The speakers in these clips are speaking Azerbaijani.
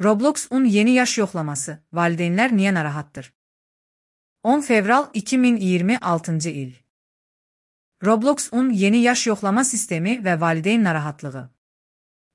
Roblox'un yeni yaş yoxlaması, valideynlər niyə narahatdır? 10 fevral 2026 il. Roblox'un yeni yaş yoxlama sistemi və valideyn narahatlığı.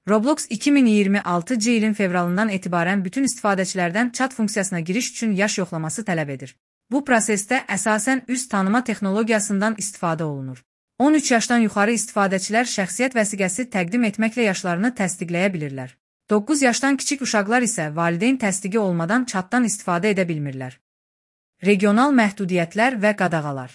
Roblox 2026 ilin fevralından etibarən bütün istifadəçilərdən chat funksiyasına giriş üçün yaş yoxlaması tələb edir. Bu prosesdə əsasən üz tanıma texnologiyasından istifadə olunur. 13 yaşdan yuxarı istifadəçilər şəxsiyyət vəsiqəsi təqdim etməklə yaşlarını təsdiqləyə bilirlər. 9 yaşdan kiçik uşaqlar isə valideyn təsdiqi olmadan chatdan istifadə edə bilmirlər. Regional məhdudiyyətlər və qadağalar.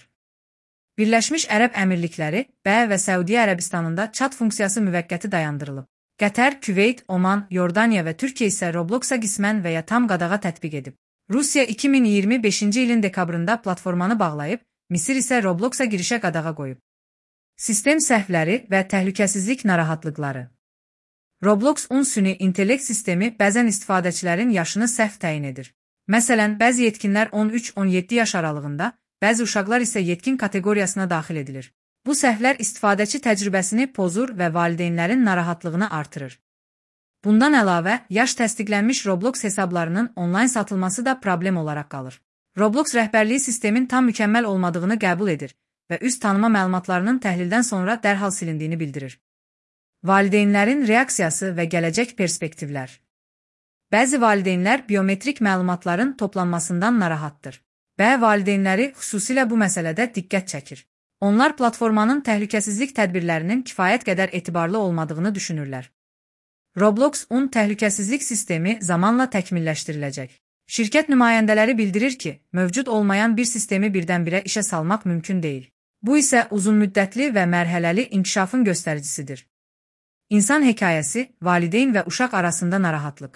Birləşmiş Ərəb Əmirlikləri, BƏ və Səudiyyə Ərəbistanında chat funksiyası müvəqqəti dayandırılıb. Qətər, Küveyt, Oman, Yordaniya və Türkiyə isə Robloxa qismən və ya tam qadağa tətbiq edib. Rusiya 2025 ilin dekabrında platformanı bağlayıb, Misir isə Robloxa girişə qadağa qoyub. Sistem səhvləri və təhlükəsizlik narahatlıqları. Roblox'un süni intellekt sistemi bəzən istifadəçilərin yaşını səhv təyin edir. Məsələn, bəzi yetkinlər 13-17 yaş aralığında, bəzi uşaqlar isə yetkin kateqoriyasına daxil edilir. Bu səhvlər istifadəçi təcrübəsini pozur və valideynlərin narahatlığını artırır. Bundan əlavə, yaş təsdiqlənmiş Roblox hesablarının onlayn satılması da problem olaraq qalır. Roblox rəhbərliyi sistemin tam mükəmməl olmadığını qəbul edir və üz tanıma məlumatlarının təhlildən sonra dərhal silindiyini bildirir. Valideynlərin reaksiyası və gələcək perspektivlər. Bəzi valideynlər biometrik məlumatların toplanmasından narahatdır. BƏ valideynləri xüsusilə bu məsələdə diqqət çəkir. Onlar platformanın təhlükəsizlik tədbirlərinin kifayət qədər etibarlı olmadığını düşünürlər. Roblox'un təhlükəsizlik sistemi zamanla təkmilləşdiriləcək. Şirkət nümayəndələri bildirir ki, mövcud olmayan bir sistemi birdən-birə işə salmaq mümkün deyil. Bu isə uzunmüddətli və mərhələli inkişafın göstəricisidir. İnsan hekayəsi, valideyn və uşaq arasında narahatlıq.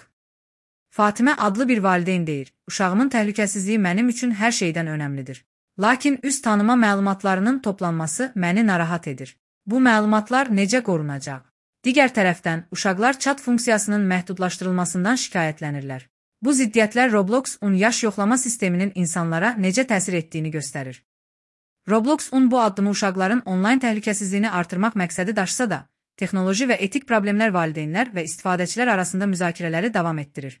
Fatimə adlı bir valideyn deyir, uşağımın təhlükəsizliyi mənim üçün hər şeydən önəmlidir. Lakin üz tanıma məlumatlarının toplanması məni narahat edir. Bu məlumatlar necə qorunacaq? Digər tərəfdən, uşaqlar chat funksiyasının məhdudlaşdırılmasından şikayətlənirlər. Bu ziddiyyətlər Roblox'un yaş yoxlama sisteminin insanlara necə təsir etdiyini göstərir. Roblox'un bu addımı uşaqların onlayn təhlükəsizliyini artırmaq məqsədi daşısa da, texnoloji və etik problemlər valideynlər və istifadəçilər arasında müzakirələri davam etdirir.